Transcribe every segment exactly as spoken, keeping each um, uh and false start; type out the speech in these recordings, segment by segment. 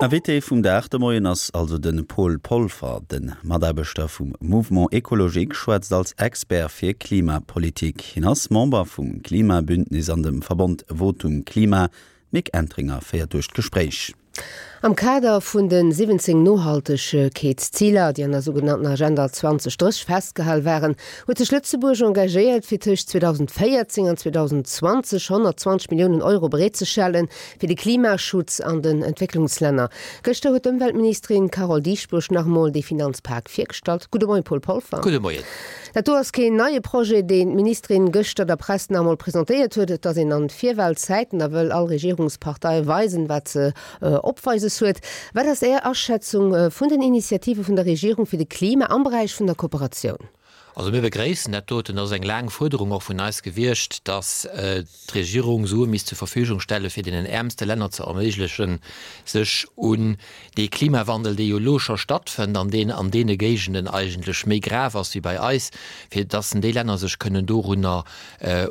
Invité vum Dag de Moien ass also de Paul Polfer. De Mataarbechter vum Mouvement Ecologique schwätzt als Expert fir Klimapolitik. Hien ass Member vum Klimabündnis an dem Verbond Votum Klima. D'Mick Entringer féiert duerch d'Gespréich. Am Kader vun de siwwenzéng Nohaltegkeetsziler, déi an der sougenannten Agenda zwanzeg drësseg festgehal waren, huet sech Lëtzebuerg engagéiert, fir tëscht zweedausendvéierzéng an zweedausendzwanzeg honnertzwanzeg Milliounen Euro bereetzestellen, fir de Klimaschutz an den Entwécklungslänner. Gëschter huet d'Ëmweltministerin Carole Dieschbourg nach emol dee Finanzpak virgestallt. Gudde Moien, Paul Polfer. Gudde Moien. Dat do ass keen neie Projet, deen d'Ministerin gëschter der Press nach emol presentéiert huet. Et ass een an Virwahlzäiten, da wëll all Regierungspartei weisen, wat se opweises huet. Wat ass Är Aschätzung vun den Initiative vun der Regierung fir de Klima am Beräich vun der Kooperatioun? Also mir begréissen dat doten. Dat ass eng laang Fuerderung och vun eis gewiescht, dass d'Regierung Sue misst zur Verfügung stelle fir deenen äermste Länner ze erméiglechen, sech un dee Klimawandel, dee jo elo scho stattfënnt an deen an deene Géigenden eigentlech méi grav ass wéi bei eis, fir dass déi Länner sech kënnen dorunner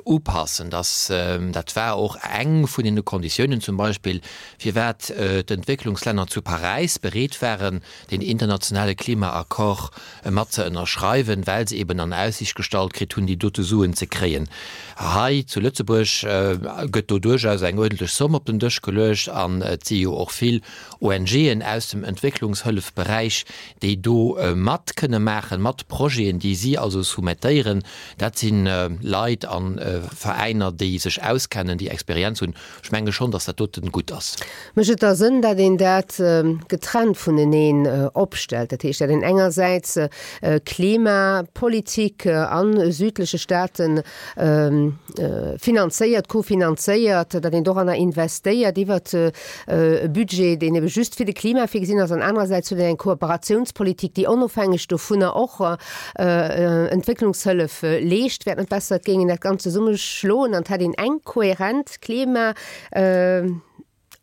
upassen. Dass, dat war och eng vun deene Konditiounen zum Beispill, firwat d'Entwécklungslänner zu Paräis bereet waren, deen internationale Klimaaccord mat ze ënnerschreiwen, well se eben an Aussicht gestallt kritt hunn, déi dote Suen ze kréien. Hei zu Lëtzebuerg gëtt do duerchaus eng uerdentlech Somm op den Dësch geluecht an et si jo och vill ONGen aus dem Entwécklungshëllefberäich, déi do mat kënne maachen, mat Projeten, déi si also soumettéieren. Dat si Leit a Veräiner, déi sech auskennen, déi Experienz hunn. Ech menge schonn, datt dat doten gutt ass. Mécht et da Sënn, datt een dat getrennt vuneneen opstellt? Dat heescht, datt een engersäits Klimapolitik a südleche Staaten finanzéiert, kofinanzéiert, datt een doranner investéiert iwwer e Budget, deen ebe just fir de Klima virgesinn ass, an anerersäits huet een eng Kooperatiounspolitik, déi onofhängeg dovunner och Entwécklungshëllef leescht. Wär et net besser, et géing een dat Ganzt zesummeschloen an et hätt een eng kohärent Klima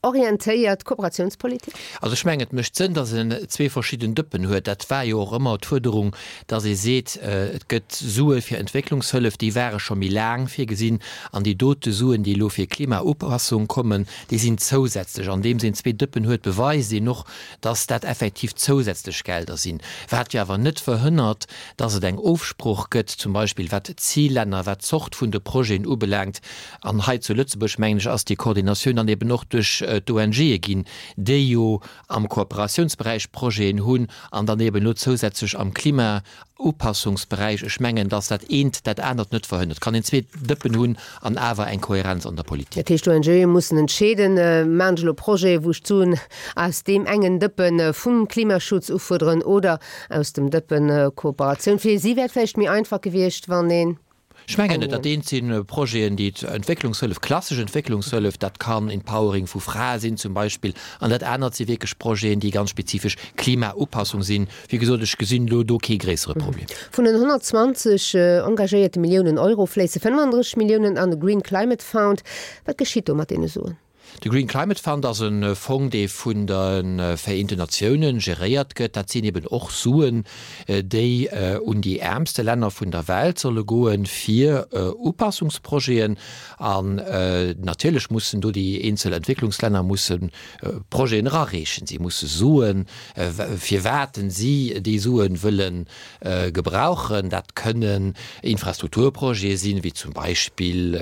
orientéiert Kooperatiounspolitik? Also ech mengen, et mécht Sënn, datt een zwee verschidden Dëppen huet. Dat war jo och ëmmer d'Fuerderung, datt ee seet, et gëtt Sue fir Entwécklungshëllef, déi ware scho méi laang virgesinn, an déi dote Suen, déi elo fir Klimaupassung kommen, déi sinn zousätzlech. Andeems een zwee Dëppen huet, beweist een och, datt dat effektiv zousätzlech Gelder sinn. Wat jo awer net verhënnert, datt et eng Ofsprooch gëtt, zum Beispill wat d'Zillänner, wat d'Zort vun de Projeten ubelaangt. An hei zu Lëtzebuerg, mengen ech, ass déi Koordinatioun dann eben och duerch d'ONGe ginn, déi jo am Kooperatiounsberäich Projeten hunn an dann eben elo zousätzlech am Klimaupassungsberäich. Ech mengen, dass dat eent dat anert net verhënnert. Et kann een zwee Dëppen hunn an awer eng Kohärenz an der Politik. Dat heescht, d'ONGe mussen entscheeden, Maachen ech elo Projete, wou ech d'Suen aus deem engen Dëppe vum Klimaschutz ufuerderen oder aus dem Dëppe Kooperatioun? Fir si wär et vläicht méi einfach gewiescht, wann een Ech mengen net. Dat eent si Projeten, déi d'Entwécklungshëllef, klassesch Entwécklungshëllef, dat kann Empowering vu Frae sinn zum Beispill, an dat anert si wierklech Projeten, déi ganz spezifesch Klimaupassung sinn. Wéi gesot, ech gesinn elo do kee gréissere Problem. Vun den honnertzwanzeg engagéierte Milliounen Euro fléisse fënnefandrësseg Milliounen an de Green Climate Fund. Wat geschitt do mat deene Suen? De Green Climate Fund ass e Fong, dee vun de Vereenten Natiounen geréiert gëtt. Dat sinn eben och Suen, déi un déi äermste Länner vun der Welt solle goen, fir Upassungsprojeten. An natierlech mussen do déi eenzel Entwécklungslänner musse Projeten erareechen. Si musse soen, firwat si déi Suen wëlle gebrauchen. Dat kënnen Infrastrukturprojete sinn, wéi zum Beispill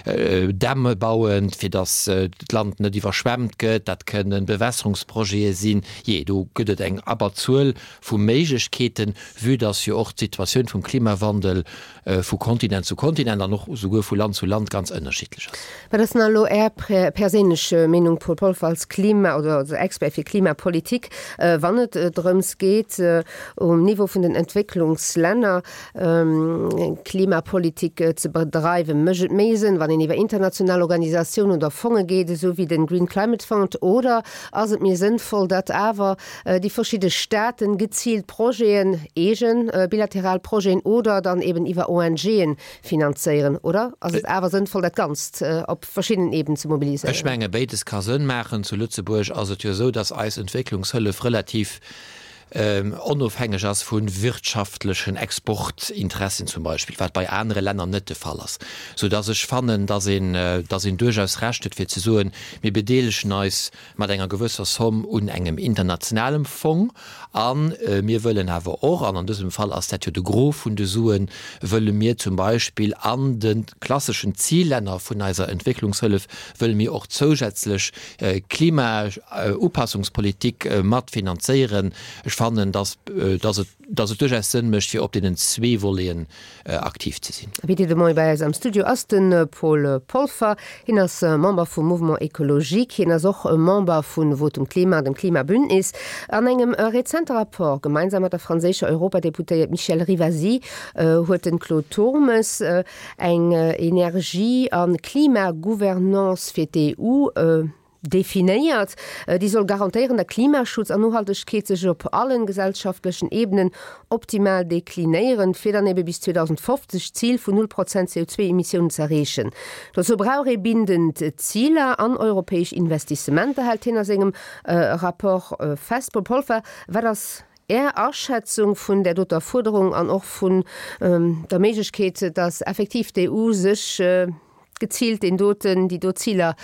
Dämme bauen, fir datt d'Land net iwwerschwemmt gëtt. Dat kënnen Bewässerungsprojete sinn. Jee, do gëtt et eng Abberzuel vu Méiglechkeeten, vue datt jo och d'Situatioun vum Klimawandel vu Kontinent zu Kontinent an och esouguer vu Land zu Land ganz ënnerschiddlech ass. Wat ass denn elo Är perséinlech Meenung, Paul Polfer, als Klima oder als Expert fir Klimapolitik, wann et drëms geet, um Niveau vun den Entwécklungslänner Klimapolitik ze bedreiwen? Mécht et méi Sënn, wann een iwwer international Organisatiounen oder Fonge geet, esou wéi den Green Climate Fund, oder ass et méi sënnvoll, datt awer déi verschidde Staaten geziilt Projeten, eegen bilateral Projeten oder dann eben iwwer ONGen finanzéieren? Oder ass et awer sënnvoll, dat Ganzt op verschiddenen Ebenen ze mobiliséieren? Ech menge béides ka Sënn maachen. Zu Lëtzebuerg ass et jo esou, datt eis Entwécklungshëllef relativ onofhängeg ass vu wirtschaftlechen Exportinteressen zum Beispill, wat bei anere Länner net de Fall ass, soudass ech fannen, dass een, dass een duerchaus Recht huet fir ze soen, mir bedeelegen eis mat enger gewësser Somm un engem internationalem Fong a mir wëllen awer och, an an dësem Fall ass dat jo de Gros vun de Suen, wëlle mir zum Beispill an de klasseschen Zillänner vun eiser Entwécklungshëllef wëlle mir och zousätzlech Klimaupassungspolitik mat finanzéieren. Ech fannen, dass, dass et, dass et duerchaus Sënn mécht, fir op deenen zwee Voleten aktiv ze sinn. Invité de Moie bei eis am Studio ass de Paul Polfer. Hien ass Member vum Mouvement Ecologique. Hien ass och Member vu Votum Klima, dem Klimabündnis. An engem rezente Rapport, gemeinsam mat der franséischer Europadeputéiert Michèle Rivasi, huet de Claude Turmes eng Energie a Klimagouvernance fir d'EU definéiert. Déi soll garantéieren, datt Klimaschutz an Nohaltegkeet sech op allen gesellschaftlechen Ebenen optimal deklinéieren, fir dann ebe bis zweedausendfofzeg d'Zil vun null Prozent C O zwei Emissiounen ze erreechen. Dozou brauch ee bindend Ziler an europäesch Investissementer, hält hien a sengem Rapport fest. Paul Polfer, wat ass Är Aschätzung vun där doter Fuerderung an och vun der Méiglechkeet, datt effektiv d'E U sech geziilt deen doten, déi do Ziler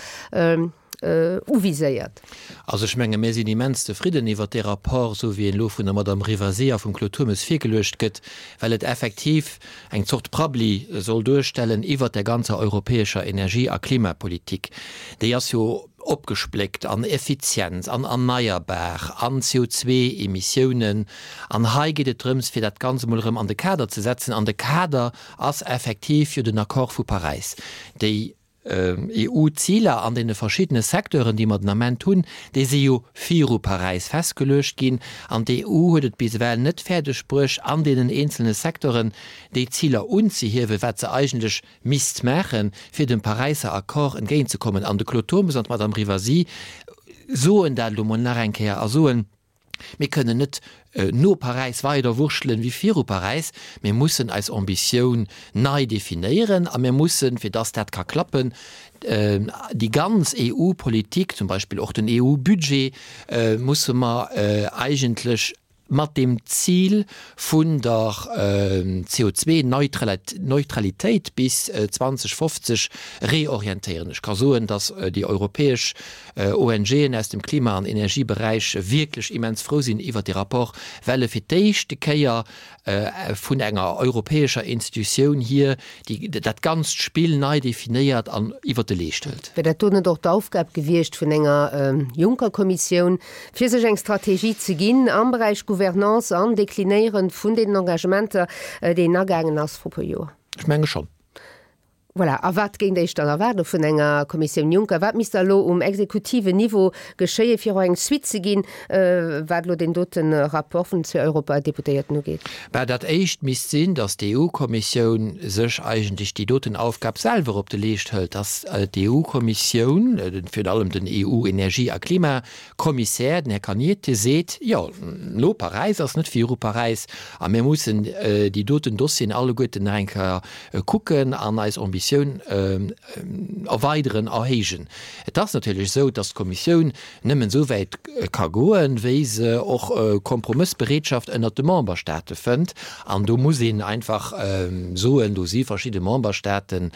uviséiert? Also ech menge mir sinn immens zefridden iwwert dee Rapport, esou wéi en elo vun der Madame Rivasi a vum Claude Turmes virgeluecht gëtt, well et effektiv eng Zort Prabbeli soll duerstellen iwwert der ganzer europäescher Energie a Klimapolitik. Déi ass jo opgespléckt an Effizienz, an erneierbar, an C O zwei Emissiounen. An hei geet et drëms, fir dat Ganze emol erëm an de Kader ze setzen. An de Kader ass effektiv jo den Accord vu Paräis. Déi E U-Ziler an deene verschiddene Secteuren, déi mer den Ament hunn, déi si jo viru Paräis festgeluecht ginn. An d'E U huet et bis ewell net fäerdeg bruecht, an deenen eenzelne Secteuren déi Ziler unzehiewen, wat se eigentlech misst maachen, fir dem Paräisser Accord entgéintzekommen. An de Claude Turmes an d'Madame Rivasi soen dat elo mol nach eng Kéier a soen, mir kënnen net no Paräis weider wurschtelen wéi viru Paräis. Mir mussen eis Ambitioun nei definéieren a mir mussen, fir dass dat ka klappen, déi ganz E U-Politik, zum Beispill och den E U-Budget, musse mer eigentlech mat dem Zil vun der C O zwei Neutralitéit bis zweitausendfofzeg reorientéieren. Ech ka soen, dass déi europäesch O N G'en aus dem Klima- an Energieberäich wierklech immens frou sinn iwwer de Rapport, well e fir d'éischte Kéier vun enger europäescher Institutioun hier déi dat ganzt Spill nei definéiert an iwwer de Leescht hëlt. Wär dat do net och d'Aufgab gewiescht vun enger Juncker-Kommissioun, fir sech eng Strategie ze ginn am Beräich Gouvernance an Deklinéieren vun den Engagementer, déi een agaangen ass vor e puer Joer? Ech menge schonn. Voilà. A wat géint Iech dann erwaarde vun enger Kommissioun Juncker? Wat misst da lo um exekutiven Niveau geschéie fir och eng Suite ze ginn, wat lo den doten Rapport vun zwee Europadeputéierten ugeet? Bah, dat éischt misst sinn, datt d'E U-Kommissioun sech eigentlech déi doten Aufgab selwer op de Leescht hëlt, datt d'E U-Kommissioun, virun allem den E U-Energie- a Klimakommissär, den Här Cañete, seet, jo, no Paräis ass net viru Paräis, a mir mussen déi doten Dossieren alleguerten nach eng Kéier kucken an eis Ambitioun erweideren, erhéijen. Et ass natierlech esou, datt d'Kommissioun nëmmen esou wäit ka goen, wéi se och Kompromëssbereetschaft ënnert de Memberstaate fënnt. An do muss een einfach soen, do si verschidde Memberstaaten,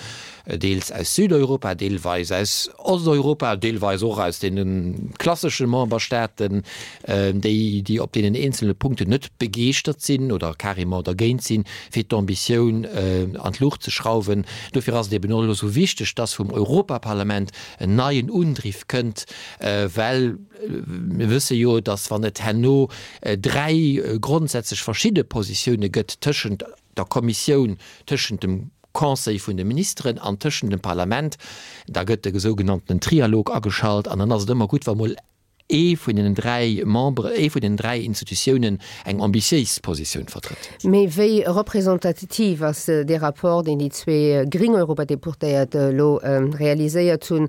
deels aus Südeuropa, deelweis aus Osteuropa, deelweis och aus deene klassesche Memberstaaten, déi, déi op deenen eenzelne Punkten net begeeschtert sinn oder carrément dergéint sinn, fir d'Ambitioun an d'Luucht ze schrauwen. Dofir ass et eben och elo sou wichteg, dass vum Europaparlament en neien Undriff kënnt, well mir wësse jo, dass wann et herno dräi grondsätzlech verschidde Positioune gëtt tëschent der Kommissioun, tëschent dem Conseil vun de Ministeren an tëschent dem Parlament, da gëtt de sougenannten Trialog ageschalt an dann ass et ëmmer gutt, wa mol ee vun den dräi Membere, ee vun den dräi Institutiounen eng ambitiéis Positioun vertrëtt. Mee wéi représentativ ass dee Rapport, deen déi zwee gréng Europadeputéiert elo realiséiert hunn,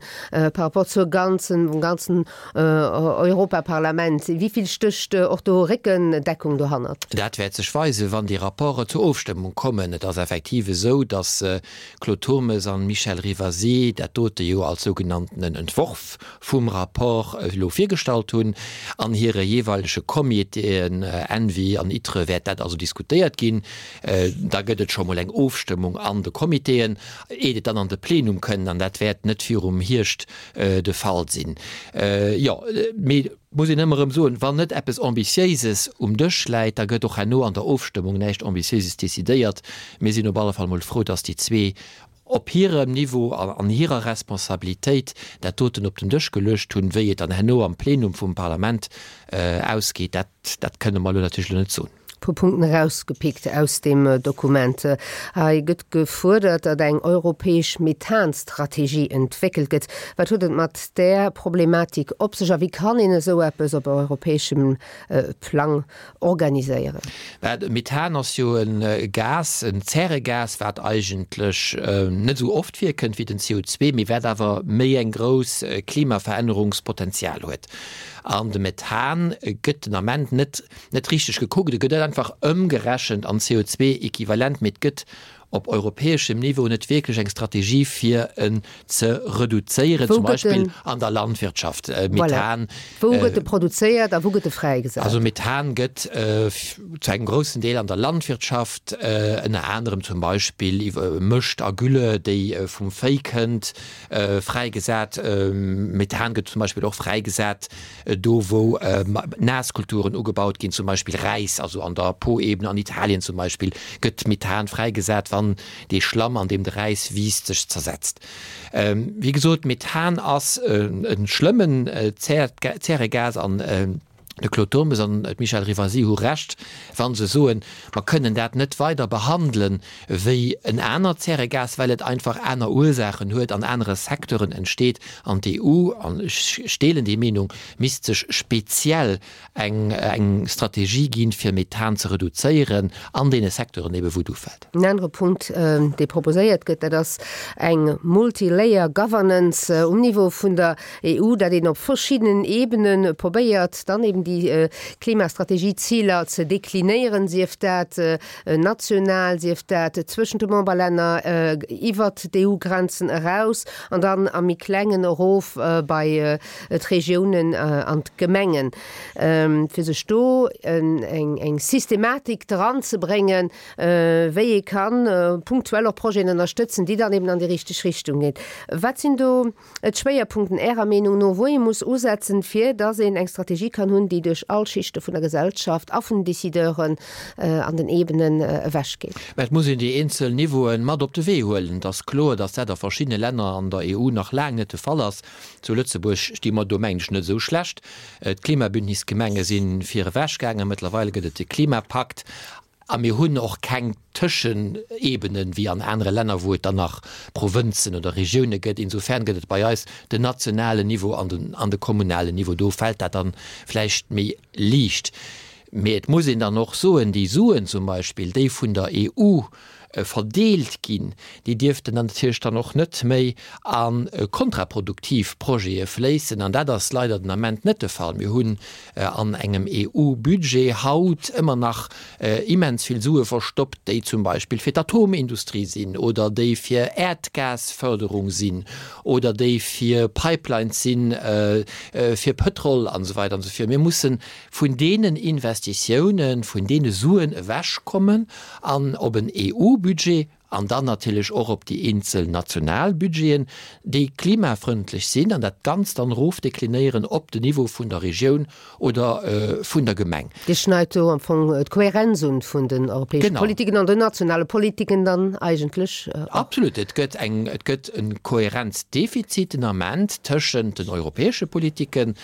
par rapport zur ganzen, zum ganzen Europaparlament? Wéi vill stécht och do Réckendeckung dohannert? Dat wäert sech weisen, wann déi Rapporte zur Ofstëmmung kommen. Et ass effektiv esou, datt Claude Turmes an Michèle Rivasi dat dote jo als sougenannten Entworf vum Rapport elo virgestallt virgestallt hunn. An hire jeeweilege Comitéen, ENVI an ITRE, wäert dat also diskutéiert ginn. Da gëtt et scho mol eng Ofstëmmung an de Comitéen, iert et dann an de Plenum kënnt, an dat wäert net virum Hierscht de Fall sinn. Jo, mee et muss een ëmmer erëm soen, wann net eppes Ambitiéises um Dësch läit, da gëtt och herno an der Ofstëmmung näischt Ambitiéises decidéiert. Mir sinn op alle Fall mol frou, dass déi zwee op hirem Niveau an an hirer Responsabilitéit dat doten op den Dësch geluecht hunn. Wéi et dann herno am Plenum vum Parlament ausgeet, dat, dat kënne mer elo natierlech elo net soen. Puer Punkten erausgepickt aus deem Dokument. Hei gëtt gefuerdert, datt eng europäesch Methanstrategie entwéckelt gëtt. Wat huet et mat där Problematik op sech a wéi kann een esou eppes op europäeschem Plang organiséieren? Mä de Methan ass jo e Gas, en Zäregas, wat eigentlech net esou oft virkënnt wéi den C O zwee, mee wat awer méi eng grouss Klimaverännerungspotenzial huet. An de Methan gëtt den Ament net net richteg gekuckt, e gëtt net einfach ëmgerechent an C O zwee Equivalent, mee et gëtt op europäeschem Niveau net wierklech eng Strategie fir en ze reduzéieren, Wou zum gëtt Beispill en an der Landwirtschaft. Voilà. Methan, Wou gëtt e produzéiert a wou gëtt e fräigesat? Also Methan gëtt zu engem groussen Deel an der Landwirtschaft, ënner anerem zum Beispill iwwer Mëscht a Gülle, déi vum Véi kënnt, fräigesat. Methan gëtt zum Beispill och fräigesat do wou Naasskulturen ugebaut ginn, zum Beispill Räis, also an der Po-Ebene an Italien zum Beispill gëtt Methan fräigesat, wann dee Schlamm, an deem de Räis wiisst, sech zersetzt. Wéi gesot, Methan ass e schlëmmen Zäregas an de Claude Turmes an d'Michèle Rivasi hu Recht, wa se soen, mer kënnen dat net weider behandele wéi en anert Zäregas, well et einfach aner Ursaachen huet, an anere Secteuren entsteet. An d'E U, an ech deelen déi Meenung, misst sech speziell eng eng Strategie ginn, fir Methan ze reduzéieren an deene Secteuren ebe wou et ufält. En anere Punkt, dee proposéiert gëtt, dat ass eng Multilayer Governance um Niveau vun der E U, datt een op verschiddenen Ebene probéiert, dann eben déi Klimastrategieziler ze deklinéieren, sief dat national, sief dat zwëschent de Memberlänner, iwwert d'E U-Grenzen eraus an dann am méi Klengen erof bei d'Regiounen an d'Gemengen, fir sech do eng Systematik dranzebréngen, wéi ee kann punktuell och Projeten ënnerstëtzen, déi dann eben an déi richteg Richtung ginn. Wat sinn do d'Schwéierpunkten Ärer Meenung no, wou ee muss usetzen, fir datt een eng Strategie kann hunn, déi duerch all Schichte vun der Gesellschaft a vun den Décideuren an den Ebenen ewechgeet? Mä et muss een déi eenzel Niveauen mat op de Wee huelen. Et ass kloer, datt dat a verschiddene Länner an der E U nach laang net de Fall ass. Zu Lëtzebuerg sti mer do, mengen ech, net esou schlecht. D'Klimabündnisgemenge si vir ewech gaangen. Mëttlerweile gëtt et de Klimapakt. A mir hunn och keng Tëschenebenen, wéi an anere Länner, wou et dann nach Provënzen oder Regioune gëtt. Insofern gëtt et bei eis den nationalen Niveau an den, an de kommunalen Niveau. Do fält dat dann vläicht méi liicht. Mee et muss een dann och soen, déi Suen zum Beispill, déi vun der E U verdeelt ginn, déi dierften dann natierlech dann och net méi a kontraproduktiv Projete fléissen. An dat ass leider den Ament net de Fall. Mir hunn an engem E U-Budget haut ëmmer nach immens vill Sue verstoppt, déi zum Beispill fir d'Atomindustrie sinn oder déi fir Äerdgasförderung sinn oder déi fir Pipelines sinn, fir Pëtrol an esou weider an esou virun. Mir mussen vun deenen Investitiounen, vun deene Suen ewechkommen an op en E U-Budget an dann natierlech och op déi eenzel national Budgeten, déi klimafrëndlech sinn, an dat Ganzt dann erofdeklinéieren op den Niveau vun der Regioun oder vun der Gemeng. Dir schneit do am Fong d'Kohärenz un vun den europäesche Politiken an den nationale Politiken dann eigentlech och. Absolut. Et gëtt eng, et gëtt e Kohärenzdefizit den Ament tëschent den europäesche Politiken.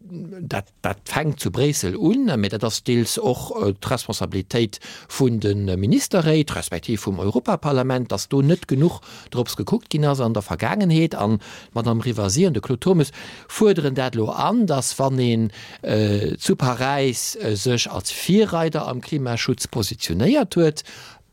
Dat, dat fänkt zu Bréissel un, mä dat ass deels och d'Responsabilitéit vun de Ministerréit respektiv vum Europaparlament, dass do net genuch drops gekuckt ginn ass an der Vergaangenheet. An d'Madame Rivasi an de Claude Turmes fuerderen dat elo an, dass wann een zu Paräis sech als Virreider am Klimaschutz positionéiert huet,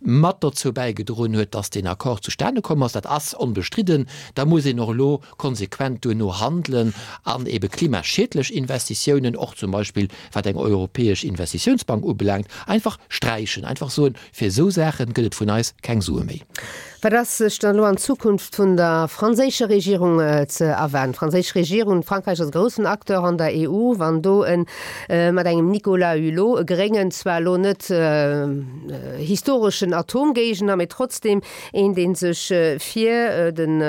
mat dozou bäigedroen huet, dass deen Accord zustane komm ass, dat ass onbestridden, da muss een och elo konsequent duerno handelen an ebe klimaschiedlech Investitiounen, och zum Beispill wat eng europäesch Investitiounsbank ubelaangt, einfach sträichen, einfach soen, fir esou Saache gëtt et vun eis keng Sue méi. Wat ass sech dann elo an Zukunft vun der franséischer Regierung ze erwaarden? D'franséisch Regierung, Frankräich ass e groussen Acteur an der E U, wann do e mat engem Nicolas Hulot, e Gréngen, zwar elo net historeschen Atomgéigner, mee trotzdem een, dee sech fir den,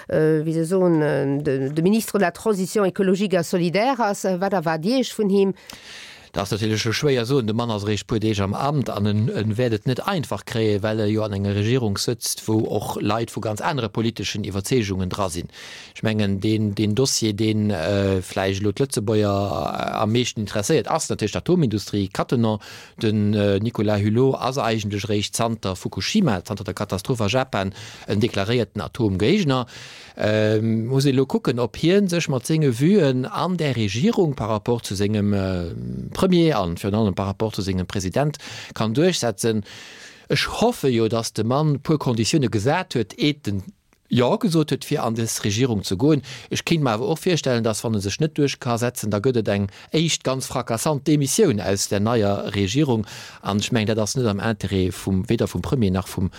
wéi se soen, de Ministre de la Transition écologique a solidaire ass, wat erwaart Dir Iech vun him? Dat ass natierlech elo schwéier soen. De Mann ass eréischt puer Deeg am Amt an en wäert et net einfach kréien, well e jo an enger Regierung sëtzt, wou och Leit vu ganz anere politeschen Iwwerzeegungen dra sinn. Ech mengen, deen, deen Dossier, dee vläicht elo d'Lëtzebuerger am meeschten interesséiert, ass natierlech d'Atomindustrie. Cattenom. Den Nicolas Hulot ass eigentlech eréischt zanter Fukushima, zanter der Katastroph a Japan, en deklaréierten Atomgéigner. Muss een elo kucken, ob hie sech mat senge Vuen an där Regierung par rapport zu sengem Premier an virun allem par rapport zu sengem President kann duerchsetzen. Ech hoffe jo, datt de Mann e puer Konditioune gesat huet, eet en Jo gesot huet, fir an dës Regierung ze goen. Ech kéint mer awer och virstellen, datt wann e sech net duerch ka setzen, da gëtt et eng éischt ganz fracassant Demissioun aus där neier Regierung. An ech mengen, dat ass net am Interêt vum, weder vum Premier nach vum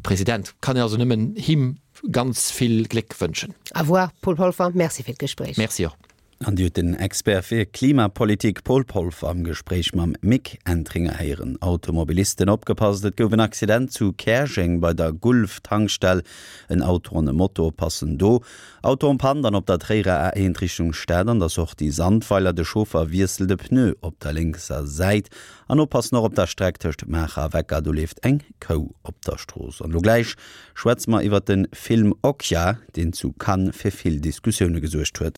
President. Kann een also nëmmen him ganz vill Gléck wënschen. Au revoir, Paul Polfer. Merci fir d'Gespréich. Merci och. An Dir hutt den Expert fir Klimapolitik Paul Polfer am Gespréich mam Mick Entringer héieren. Automobilisten opgepasst, et gouf en Accident zu Käerjeng bei der Gulf-Tankstell. En Auto an e Moto passen do. Auto en panne dann op der Tréierer A eent Richtung Stad an der Sortie Sandweiler. De Chauffer wiesselt e Pneu op der lénkser Säit. An oppassen och op der Streck tëscht Maacher a Wecker, do leeft eng Kou op der Strooss. An elo gläich schwätze mer iwwert de Film Okja, deen zu Cannes fir vill Diskussioune gesuergt huet.